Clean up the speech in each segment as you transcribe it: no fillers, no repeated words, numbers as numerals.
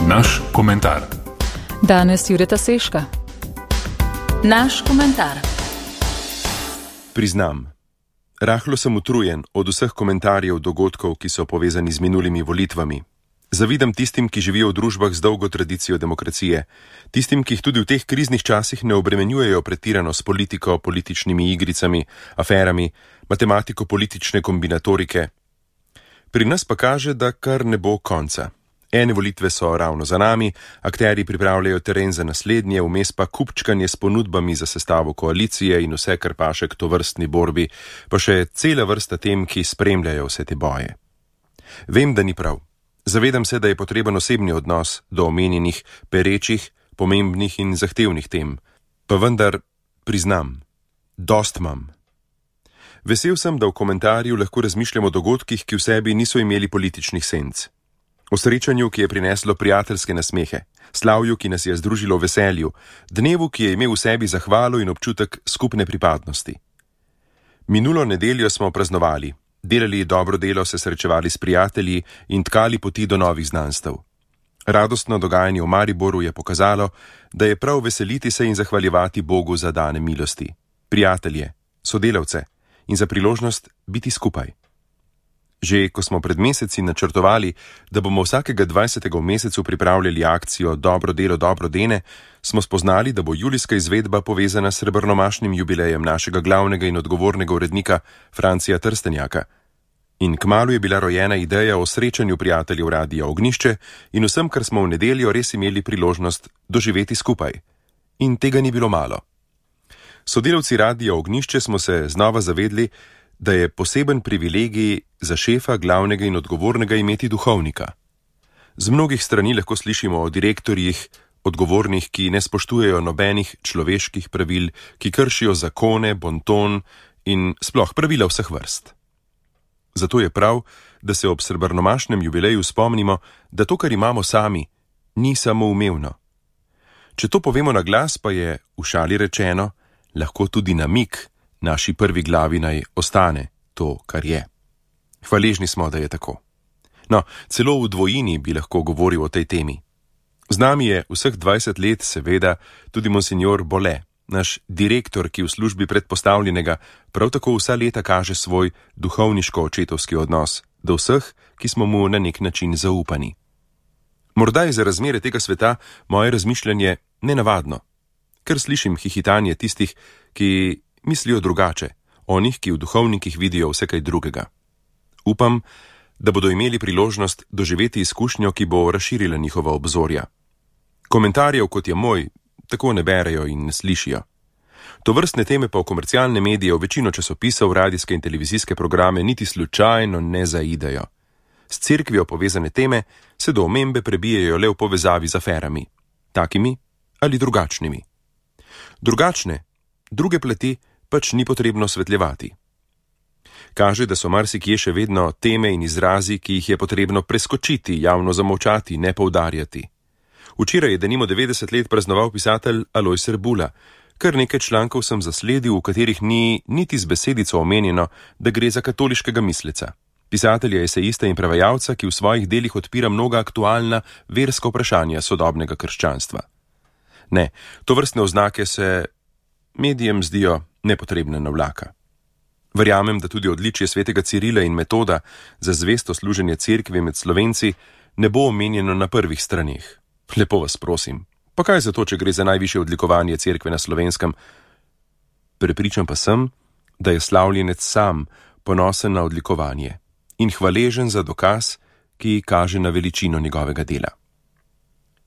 Naš komentar. Danes Jureta Seška. Naš komentar. Priznam, rahlo sem utrujen od vseh komentarjev dogodkov, ki so povezani z minulimi volitvami. Zavidam tistim, ki živijo v družbah z dolgo tradicijo demokracije, tistim, ki jih tudi v teh kriznih časih ne obremenjujejo pretirano s politiko, političnimi igricami, aferami, matematiko-politične kombinatorike. Pri nas pa kaže, da kar ne bo konca. Ene volitve so ravno za nami, akterji pripravljajo teren za naslednje, vmes pa kupčkanje s ponudbami za sestavo koalicije in vse, kar paše k tovrstni borbi, pa še cela vrsta tem, ki spremljajo vse te boje. Vem, da ni prav. Zavedam se, da je potreben osebni odnos do omenjenih, perečih, pomembnih in zahtevnih tem. Pa vendar, priznam, dost imam. Vesel sem, da v komentarju lahko razmišljam o dogodkih, ki v sebi niso imeli političnih senc. O srečanju, ki je prineslo prijateljske nasmehe, slavju, ki nas je združilo v veselju, dnevu, ki je imel v sebi zahvalo in občutek skupne pripadnosti. Minulo nedeljo smo praznovali, delali dobro delo, se srečevali s prijatelji in tkali poti do novih znanstev. Radostno dogajanje v Mariboru je pokazalo, da je prav veseliti se in zahvaljevati Bogu za dane milosti, prijatelje, sodelavce in za priložnost biti skupaj. Že ko smo pred meseci načrtovali, da bomo vsakega 20. v mesecu pripravljali akcijo Dobro delo, dobro dene, smo spoznali, da bo julijska izvedba povezana s srebrnomašnim jubilejem našega glavnega in odgovornega urednika Francija Trstenjaka. In kmalu je bila rojena ideja o srečanju prijateljev Radia Ognjišče in vsem, kar smo v nedeljo res imeli priložnost doživeti skupaj. In tega ni bilo malo. Sodelavci Radia Ognjišče smo se znova zavedli, da je poseben privilegij za šefa, glavnega in odgovornega imeti duhovnika. Z mnogih strani lahko slišimo o direktorjih, odgovornih, ki ne spoštujejo nobenih človeških pravil, ki kršijo zakone, bonton in sploh pravila vseh vrst. Zato je prav, da se ob srebrnomašnem jubileju spomnimo, da to, kar imamo sami, ni samoumevno. Če to povemo na glas, pa je, v šali rečeno, lahko tudi namig, naši prvi glavi naj ostane to, kar je. Hvaležni smo, da je tako. No, celo v dvojini bi lahko govoril o tej temi. Z nami je vseh 20 let, seveda, tudi monsignor Bole, naš direktor, ki v službi predpostavljenega prav tako vsa leta kaže svoj duhovniško-očetovski odnos do vseh, ki smo mu na nek način zaupani. Morda je za razmere tega sveta moje razmišljanje nenavadno, ker slišim hihitanje tistih, ki mislijo drugače, onih, ki v duhovnikih vidijo vse kaj drugega. Upam, da bodo imeli priložnost doživeti izkušnjo, ki bo razširila njihova obzorja. Komentarjev, kot je moj, tako ne berejo in ne slišijo. Tovrstne teme pa v komercialne medije, v večino časopisov, radijske in televizijske programe niti slučajno ne zaidejo. S cerkvijo povezane teme se do omembe prebijajo le v povezavi z aferami, takimi ali drugačnimi. Druge plati pač ni potrebno osvetljevati. Kaže, da so marsikje še vedno teme in izrazi, ki jih je potrebno preskočiti, javno zamolčati, ne poudarjati. Včeraj je denimo 90 let praznoval pisatelj Alojz Rbula. Kar nekaj člankov sem zasledil, v katerih ni niti z besedico omenjeno, da gre za katoliškega misleca. Pisatelja, esejista in prevajalca, ki v svojih delih odpira mnoga aktualna verska vprašanja sodobnega krščanstva. Ne, tovrstne oznake se medijem zdijo nepotrebne navlaka. Verjamem, da tudi odličje svetega Cirila in Metoda za zvesto služenje cerkvi med Slovenci ne bo omenjeno na prvih straneh. Lepo vas prosim, pa kaj zato, če gre za najvišje odlikovanje cerkve na Slovenskem? Prepričan pa sem, da je slavljenec sam ponosen na odlikovanje in hvaležen za dokaz, ki kaže na veličino njegovega dela.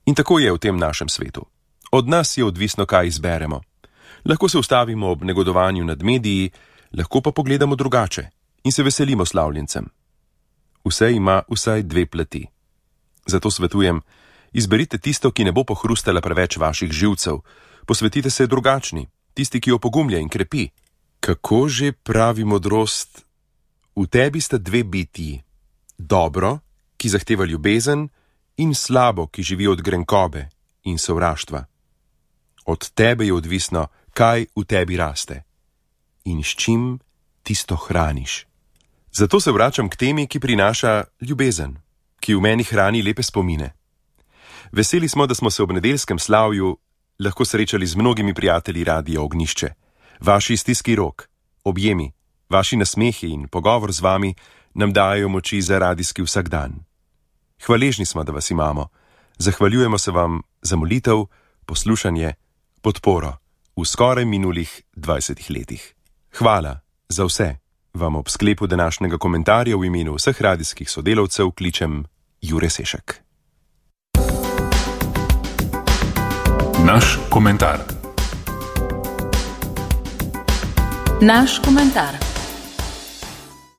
In tako je v tem našem svetu. Od nas je odvisno, kaj izberemo. Lahko se ustavimo ob negodovanju nad mediji, lahko pa pogledamo drugače in se veselimo slavljencem. Vse ima vsaj dve plati. Zato svetujem, izberite tisto, ki ne bo pohrustala preveč vaših živcev, posvetite se drugačni, tisti, ki jo pogumlja in krepi. Kako že pravi modrost? V tebi sta dve bitji, dobro, ki zahteva ljubezen, in slabo, ki živi od grenkobe in sovraštva. Od tebe je odvisno, kaj v tebi raste in s čim tisto hraniš. Zato se vračam k temi, ki prinaša ljubezen, ki v meni hrani lepe spomine. Veseli smo, da smo se ob nedeljskem slavju lahko srečali z mnogimi prijatelji Radia Ognjišče. Vaši stiski rok, objemi, vaši nasmehi in pogovor z vami nam dajo moči za radijski vsakdan. Hvaležni smo, da vas imamo. Zahvaljujemo se vam za molitev, poslušanje, podporo v skoraj minulih 20 letih. Hvala za vse. Vam ob sklepu današnjega komentarja v imenu vseh radijskih sodelavcev kličem Jure Sešek. Naš komentar. Naš komentar.